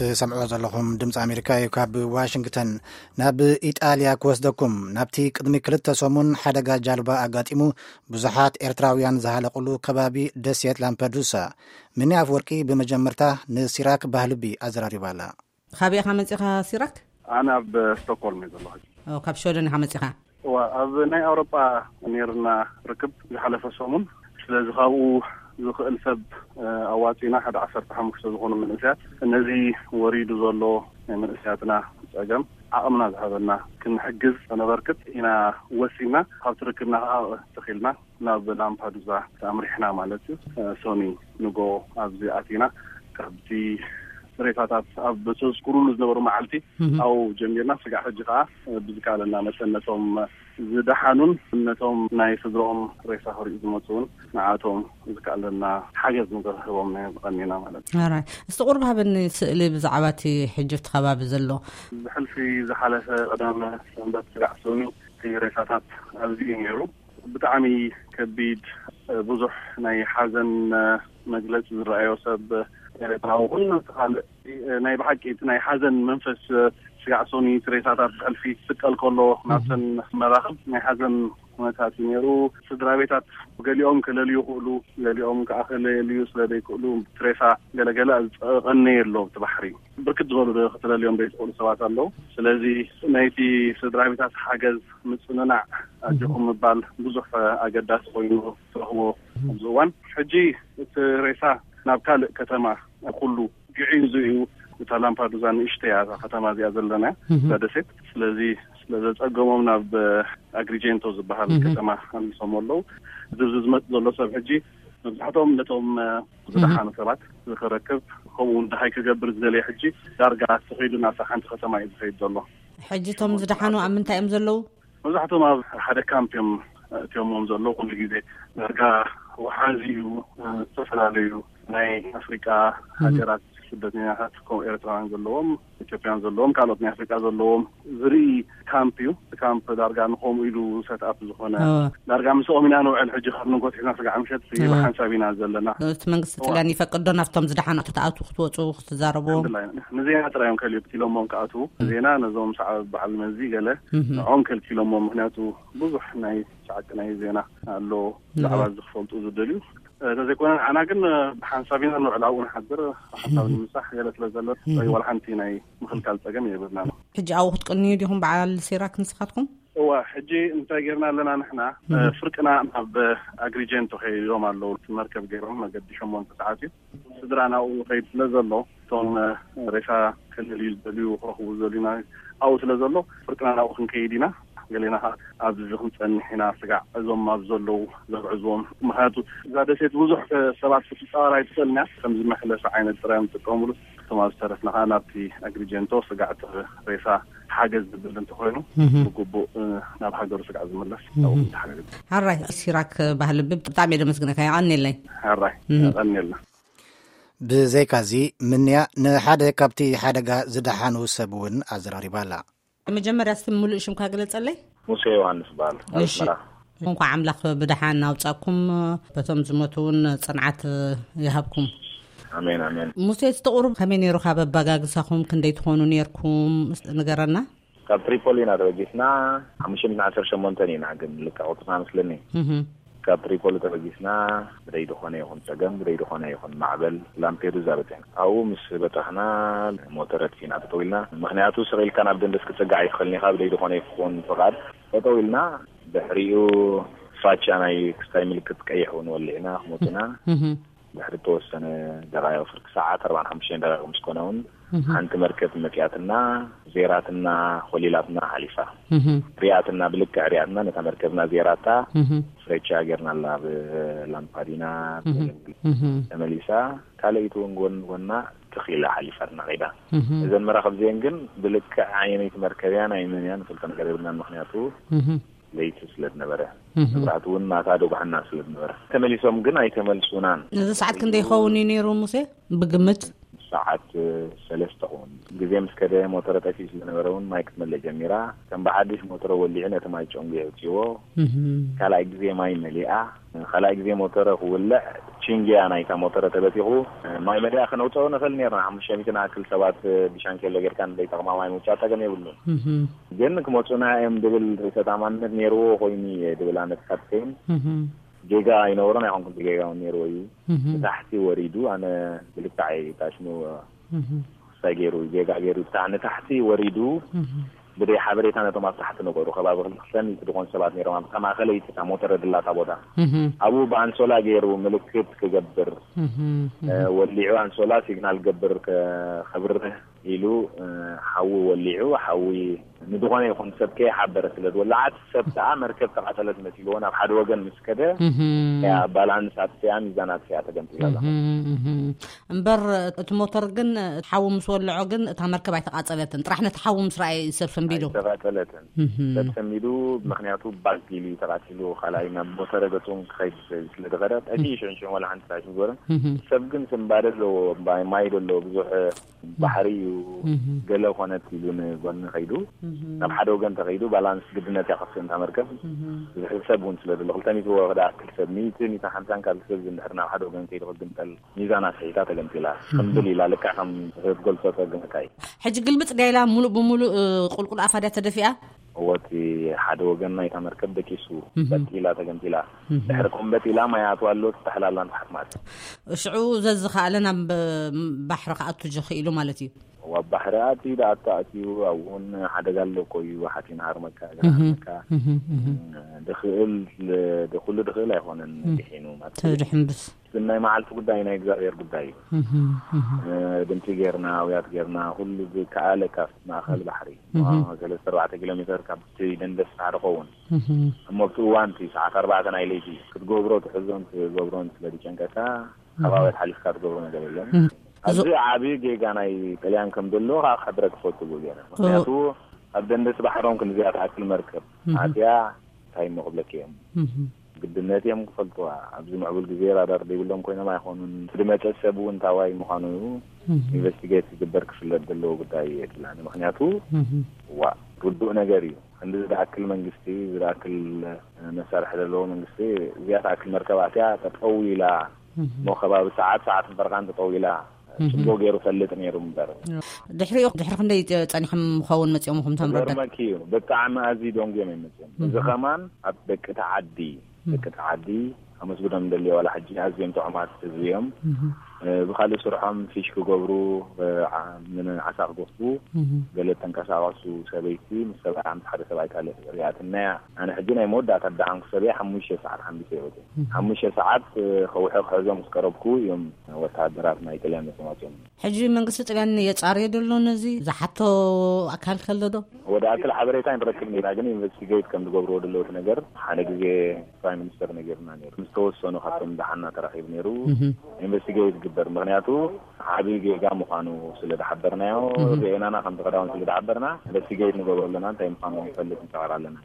ትሰምዕዎ ዘለኹም ድምፂ ኣሜሪካ እዩ። ካብ ዋሽንግተን ናብ ኢጣልያ ክወስደኩም። ናብቲ ቅድሚ ክልተ ሰሙን ሓደጋ ጃልባ ኣጋጢሙ ብዙሓት ኤርትራውያን ዝሃለቁሉ ከባቢ ደሴት ላምፐዱሳ፣ ምኒ ኣፍወርቂ ብመጀመርታ ንሲራክ ባህልቢ ኣዘራሪባ ኣላ። ካበይ ኢኻ መጺኻ ሲራክ? ኣነ ኣብ ስቶክሆልም እየ ዘለኹ። ኦ፣ ካብ ሽወደን ኢኻ መጺኻ? እዋ፣ ኣብ ናይ ኣውሮጳ ነይርና ርክብ ዝሓለፈ ሰሙን። ስለዚ ካብኡ ዝኽእል ሰብ፣ እ፣ ኣዋጺና ሓደ ዓሰርተ ሓሙሽተ ዝኾኑ መንእሰያት፣ ነዚ ወሪዱ ዘሎ ናይ መንእሰያትና ጸገም ዓቕምና ዝሃበና ክንሕግዝ ከነበርክት ኢና ወሲና። ካብቲ ርክብና ከዓ ተኺልና ናብ ላምፓዱዛ ኣምሪሕና ማለት እዩ። እ፣ ሶኒ ንጎ ኣብዚ ኣቲና። ካብቲ ሬሳታት ኣብ ተዝኩሩሉ ዝነበሩ መዓልቲ ኣብኡ ጀሚርና ስጋዕ ሕጂ ከዓ ብዝከኣለና መጠን ነቶም ዝደሓኑን ነቶም ናይ ስድሮኦም ሬሳ ክሪኡ ዝመፁ እውን ንዓቶም ዝከኣለና ሓገዝ ንክህቦም ናይ ዝቐኒና ማለት እዩ። ኣራይ፣ እስቲ ቁርብ ሃበኒ ስእሊ ብዛዕባ እቲ ሕጂ ኣብቲ ከባቢ ዘሎ። ብሕልፊ ዝሓለፈ ቀዳመ ሰንበት ስጋዕ ሶኒ እቲ ሬሳታት ኣብዚ እዩ ነይሩ። ብጣዕሚ ከቢድ፣ እ፣ ብዙሕ ናይ ሓዘን፣ እ፣ መግለጺ ዝረኣዮ ሰብ ኤርትራዊ ኩሉ ካልእ፣ እ፣ ናይ ብሓቂ እቲ ናይ ሓዘን መንፈስ፣ እ፣ ስጋዕ ሶኒ እቲ ሬሳታት ብሕልፊ ክስቀል ከሎ ናብተን መራኽብ ናይ ሓዘን ኩነታት እዩ ነይሩ። ስድራ ቤታት ገሊኦም ክለልዩ ክእሉ፣ ገሊኦም ከዓ ክለልዩ ስለ ዘይክእሉ እቲ ሬሳ ገለገለ ዝቐነየ ኣሎ ኣብቲ ባሕሪ። ብርክት ዝበሉ ዶ ክትለልዮም ዘይትኽእሉ ሰባት ኣለዉ። ስለዚ ናይቲ ስድራ ቤታት ሓገዝ ምጽንናዕ ኣጆኹም ምባል ብዙሕ ኣገዳሲ ኮይኑ ትረኽቦ ኣብዚ እዋን። ሕጂ እቲ ሬሳ ናብ ካልእ ከተማ ኩሉ ግዒዙ እዩ። እታ ላምፓዱዛ ንእሽተይ እያ፣ እታ ከተማ እዚኣ ዘለና እዛ ደሴት። ስለዚ ስለ ዘጸገሞም ናብ ኣግሪጀንቶ ዝበሃል ከተማ ኣሊሶም ኣለዉ። ዝብዚ ዝመጽእ ዘሎ ሰብ ሕጂ መብዛሕትኦም ነቶም ዝደሓኑ ሰባት ዝክረክብ፣ ከምኡ እውን ደሃይ ክገብር ዝደለየ ሕጂ ዳርጋ ተኸይዱ ናብታ ሓንቲ ከተማ እዩ ዝኸይድ ዘሎ። ሕጂ እቶም ዝደሓኑ ኣብ ምንታይ እዮም ዘለዉ? መብዛሕትኦም ኣብ ሓደ ካምፕ እዮም እትዮሞም ዘለዉ። ኩሉ ግዜ ዳርጋ ወሓዚ እዩ። ዝተፈላለዩ ናይ ኣፍሪቃ ሃገራት ስደተኛታት፣ ከምኡ ኤርትራውያን ዘለዎም፣ ኢትዮጵያን ዘለዎም፣ ካልኦት ናይ ኣፍሪቃ ዘለዎም ዝርኢ ካምፕ እዩ። እቲ ካምፕ ዳርጋ ንኸምኡ ኢሉ ሰትኣፕ ዝኾነ፣ ዳርጋ ምስኦም ኢና ንውዕል። ሕጂ ካብ ንጎት ሒዝና ስጋዕ ምሸት ብሓንሳብ ኢና ዘለና። እቲ መንግስቲ ጥልያን ይፈቅድ ዶ ናብቶም ዝደሓኑ ክትኣትዉ፣ ክትወፁ፣ ክትዛረብዎም? ንዜና ጥራይ እዮም ከልክሎሞም ክኣትዉ። ዜና ነዞም ሰዓብ በዓል መዚ ገለ ንዖም ከልኪሎሞም። ምክንያቱ ብዙሕ ናይ ሻዕቂ ናይ ዜና ኣሎ፣ ብዛዕባ እዚ ክፈልጡ ዝደልዩ። እንተዘይኮነ ንዓና ግን ብሓንሳብ ኢና ንውዕል፣ ኣብኡ ንሓድር፣ ብሓንሳብ ንምሳሕ ገለ ስለ ዘሎ፣ ወይ ዋላ ሓንቲ ናይ ምኽልካል ጸገም የብልናን። ሕጂ ኣብኡ ክትቅንዩ ዲኹም በዓል ሲራክ ንስኻትኩም? እዋ፣ ሕጂ እንታይ ጌርና ኣለና ንሕና? ፍርቅና ናብ ኣግሪጀንቶ ከይዶም ኣለዉ። መርከብ ገይሮም መገዲ ሸሞንተ ሰዓት እዩ። ስድራ ናብኡ ከይድ ስለ ዘሎ፣ እቶም ሬሳ ክልል እዩ ዝደልዩ፣ ክረኽቡ ዝደልዩና ኣብኡ ስለ ዘሎ፣ ፍርቅና ናብኡ ክንከይድ ኢና። ገሌና ኸዓ ኣብዚ ክንጸንሕ ኢና። ስጋዕ እዞም ኣብ ዘለዉ ዘግዕዝዎም፣ ምኽንያቱ እዛ ደሴት ብዙሕ ሰባት ክትጻወር ኣይትኽእልን እያ። ከምዚ መሕለፊ ዓይነት ጥራይ እዮም ዝጥቀሙሉ። እቶም ኣብ ዝተረፍና ኸዓ ናብቲ ኣግሪጀንቶ ስጋዕ እቲ ሬሳ ሓገዝ ዝብል እንተኾይኑ፣ ብግቡእ፣ እ፣ ናብ ሃገሩ ስጋዕ ዝምለስ፣ ኣብኡ ክንተሓጋገዝ። ሓራይ ሲራክ ባህልቢ፣ ብጣዕሚ እየ ደመስግነካ። የቐንየለይ። ሓራይ፣ የቐንየልና። ብዘይካዚ፣ ምንያ ንሓደ ካብቲ ሓደጋ ዝደሓኑ ሰብ እውን ኣዘራሪባ ኣላ። መጀመርያ እስቲ ምሉእ ሽምካ ግለጸለይ። ሙሴ ዮሃንስ በሃል፣ ካብ እሺ። ኣስመራ። እንኳዕ ኣምላኽ ብደሓን ኣውጻእኩም። በቶም ዝሞቱ እውን ጽንዓት ይሃብኩም። ኣሜን፣ ኣሜን። ሙሴ፣ እስቲ ቁሩብ ከመይ ነይሩ ካብ ኣበጋግሳኹም? ክንደይ ትኾኑ ነይርኩም? ንገረና። ካብ ትሪፖሊ ኢና ተበጊስና። ሓሙሽተ ሚእትን ዓሰርተ ሸሞንተ ኢና ግን ልክዕ ቁጽርና መስለኒ። እህ። ካብ ትሪፖሊ ተበጊስና፣ ብደይ ዝኾነ ይኹን ጸገም፣ ብደይ ዝኾነ ይኹን ማዕበል ላምፔዱዛ በጺሕና። ኣብኡ ምስ በጻሕና፣ ሞተር ኣጥፊእና ጠጠው ኢልና። ምኽንያቱ ስቕ ኢልካ ናብ ደንደስ ክትጽጋዕ ኣይትኽእልን ኢኻ፣ ብደይ ዝኾነ ይኹን ፍቓድ። ጠጠው ኢልና፣ ድሕሪኡ ፋቻ ናይ ክስታይ ምልክት ቀይሕ እውን ወሊዕና ክሞትና። እህ። ድሕሪ ተወሰነ ደቓይቕ፣ ፍርቂ ሰዓት ኣርባዓን ሓሙሽተን ደቓይቕ ምስ ኮነ እውን፣ እህ። ሓንቲ መርከብ መጺኣትና፣ ዜራትና፣ ኮሊላትና ሓሊፋ። እህ። ሪኣትና፣ ብልክዕ ሪኣትና፣ ነታ መርከብና ዜራታ፣ እህ። ፍሬቻ ጌርናላ ኣብ ላምፓዲና እህ። እህ። ተመሊሳ። ካልኣይቲ እውን ጎን ጎና ትኺላ ሓሊፋትና ኸይዳ። እህ። እዘን መራኽብ እዚአን ግን ብልክዕ ኣየነይቲ መርከብ እያ፣ ናይ መን እያ፣ ንፈልጦ ነገር የብልናን። ምኽንያቱ እህ። ለይቲ ስለ ዝነበረ፣ እህ። መብራህቲ እውን ማታ ደጉሓና ስለ ዝነበረ። ተመሊሶም ግን ኣይተመልሱናን። ነዚ ሰዓት ክንደይ ይኸውን እዩ ነይሩ ሙሴ? ብግምት? ሰዓት ሰለስተ ክኸውን። ግዜ ምስ ከደ ሞተረ ጠፊኡ ስለ ዝነበረ እውን ማይ ክትመልእ ጀሚራ። ከም ብሓድሽ ሞተረ ወሊዑ ነቲ ማይ ጨንጉ የውፅዎ። እህ። ካልኣይ ግዜ ማይ መሊኣ። ካልኣይ ግዜ ሞተረ ክውልዕ ቺንግያ ናይታ ሞተረ ተበቲኹ። ማይ መድያ ከነውፅኦ ንኽእል ነርና። ሓሙሽተ ሚእቲ ንኣክል ሰባት ብሻንኬሎ ጌርካ ንደይጠቕማ ማይ ምውፃእ ጸገም የብሉን። ግን ክመፁና እዮም ድብል ርእሰ ተኣማንነት ነይርዎ ኮይኑ እየ ድብል ኣነ ተሳትፈይን ጌጋ ኣይነበሮን ኣይኮንኩን ጌጋ እውን ነይርዎ እዩ። ንታሕቲ ወሪዱ ኣነ ብልክዓይ ታሽሙ ክሳይ ገይሩ ጌጋ ገይሩ ብታ ንታሕቲ ወሪዱ ብደይ ሓበሬታ ነቶም ኣብ ታሕቲ ነበሩ ከባቢ ክልተ ሚእቲ ዝኾኑ ሰባት ነይሮም ኣብታ ማእኸለይቲ እታ ሞተረ ድላታ ቦታ ኣብኡ ብኣንሶላ ገይሩ ምልክት ክገብር ወሊዑ ኣንሶላ ሲግናል ገብር ከብርህ ኢሉ ሓዊ ወሊዑ ሓዊ ንዝኾነ ይኹን ሰብ ከይሓበረ ስለ ዝወለዓት ሰብ ከዓ መርከብ ተቓጸለት መሲልዎ ናብ ሓደ ወገን ምስ ከደ ባላንስ ኣጥፊኣ ሚዛን ኣጥፊኣ ተገምጢላ እምበር እቲ ሞተር ግን ሓዊ ምስ ወለዖ ግን እታ መርከብ ኣይተቓጸለትን። ጥራሕ ነቲ ሓዊ ምስ ረኣየ እዩ ሰብ ሰንቢዱ። ኣይተቓጸለትን። ሰብ ሰንቢዱ። ምኽንያቱ ባግ ኢሉ እዩ ተቓጺሉ። ካልኣይ ናብ ሞተረ ገጹ ክኸይድ ስለ ዝኸደ ጠፊኡ ሽዑ ሽዑ ዋላ ሓንቲ ራሽ ዝበረ። ሰብ ግን ስንባደ ኣለዎ። ማይ ማይ ዶ ኣለዎ። ብዙሕ ባሕሪ እዩ። ገለ ኮነት ኢሉ ንጎኒ ከይዱ ናብ ሓደ ወገን ተኸይዱ ባላንስ ግድነት እያ ከፍስእ እንታ መርከብ። ዝሕሰብ እውን ስለ ዘሎ ክልተ ሚእቲ ወ ክኣክል ሰብ ሚእቲ ሚእቲ ሓምሳን ካብ ሰብ እንድሕር ናብ ሓደ ወገን ከይዱ ክግምጠል ሚዛና ስሒታ ተገምጢላ። ክምብል ኢላ ልክዕ ከም ትገልጾ ጸግመካ እዩ። ሕጂ ግልብጥ ድያ ኢላ ሙሉእ ብሙሉእ ቁልቁል ኣፋ ድያ ተደፊኣ? እወ እቲ ሓደ ወገን ናይታ መርከብ ደቂሱ በጢላ ተገምጢላ። ድሕሪ ኮምበጢላ ማይ ኣትዋ ኣሎ ትጠሕላላ ንተሓት ማለት። ሽዑ ዘዝኸኣለ ናብ ባሕሪ ክኣቱ ጀኺእሉ ማለት እዩ። ኣብ ባሕሪ ኣትዩ ደኣ ኣትዩ ኣብኡ እውን ሓደጋ ኣሎ እኮ እዩ። ሓፂን ሃርመካ ገና ሃርመካ ድኽእል ኩሉ ድኽእል ኣይኮነን። ድሒኑ ማለት እዩ። ተድሕን ብስ ናይ መዓልቲ ጉዳይ ናይ እግዚኣብሔር ጉዳይ እዩ። ድምፂ ጌርና ኣውያት ጌርና ኩሉ ዝከኣለ ካብ ማእኸል ባሕሪ ሰለስተ ኣርባዕተ ኪሎ ሜትር ካብቲ ደንደስ ሓደ ኸውን እሞ ኣብቲ እዋን እቲ ሰዓት ኣርባዕተ ናይ ለይቲ ክትገብሮ ትሕዞን ትገብሮን ስለ ዝጨንቀካ ካብ ኣውያት ሓሊፍካ ትገብሮ ነገር የለን። ኣብዚ ዓብዪ ጌጋ ናይ ጥልያን ከም ዘሎ ከዓ ክሕብረክ ክፈቱ ገይረ ምክንያቱ ኣብ ደንደስ ባሕሮም ክንዚኣ ትኣክል መርከብ ኣትያ እንታይ እሞ ክብለክ እዮም። ግድነት እዮም ክፈልጥዋ። ኣብዚ ምዕቡል ግዜ ራዳር ዘይብሎም ኮይኖም ኣይኮኑን። ዝመፀ ሰብ እውን ታዋይ ምዃኑ ኢንቨስቲጌት ዝግበር ክፍለጥ ዘለዎ ጉዳይ የድላኒ። ምክንያቱ ዋ ርዱእ ነገር እዩ። ክንዲ ዝኣክል መንግስቲ ዝኣክል መሳርሒ ዘለዎ መንግስቲ እዚኣ ትኣክል መርከብ ኣትያ ጠጠው ኢላ እሞ ከባቢ ሰዓት ሰዓት ፈረቓን ጠጠው ኢላ ፅቡቅ ገይሩ ፈልጥ ነይሩ እምበር። ድሕሪኡ ድሕሪ ክንደይ ፀኒሖም ምኸውን መፂኦም ኹም ተምረደ? ገርመኪ እዩ ብጣዕሚ ኣዝዩ ደንጉዮም እዮም መፅኦም። እዚ ከማን ኣብ ደቂ ተዓዲ ደቂ ተዓዲ ኣመስግኖም እንደልዮ ዋላ ሕጂ ኣዝዮም ጥዑማት ህዝቢ እዮም። ብካልእ ስርሖም ፊሽ ክገብሩ ዓሳ ክጎስቡ ገለ ተንቀሳቀሱ ሰበይቲ ምስ ሰብኣያ ምስ ሓደ ሰብኣይ ካልእ ሪኣትናያ። ኣነ ሕጂ ናይ መወዳእታ ደሓንኩ ሰበይ ሓሙሽተ ሰዓት ሓምቢሰ ይወት ሓሙሽተ ሰዓት ከውሒ ክሕዞም ምስ ቀረብኩ እዮም ወታደራት ናይ ጥልያን መፅኦም ኣፅኦም። ሕጂ መንግስቲ ጥልያን የፃርዮ ደሎ ነዚ ዝሓቶ ኣካል ከሎ ዶ? ወደ ኣክል ሓበሬታ ንረክብ ኢና ግን ኢንቨስቲጌት ከም ዝገብርዎ ደለዎ እቲ ነገር ሓደ ግዜ ፕራይም ሚኒስተር ነጊርና ነይሩ ምስ ተወሰኑ ካብቶም ደሓና ተራኺቡ ነይሩ። ኢንቨስቲጌት ዝግበር ምክንያቱ ዓብዪ ጌጋ ምዃኑ ስለ ዝሓበርናዮ ዜናና ከም ተኸዳውን ስለ ዝሓበርና ኢንቨስቲጌት ንገብሮ ኣለና እንታይ ምዃኑ ንፈልጥ ንፀቐር ኣለና።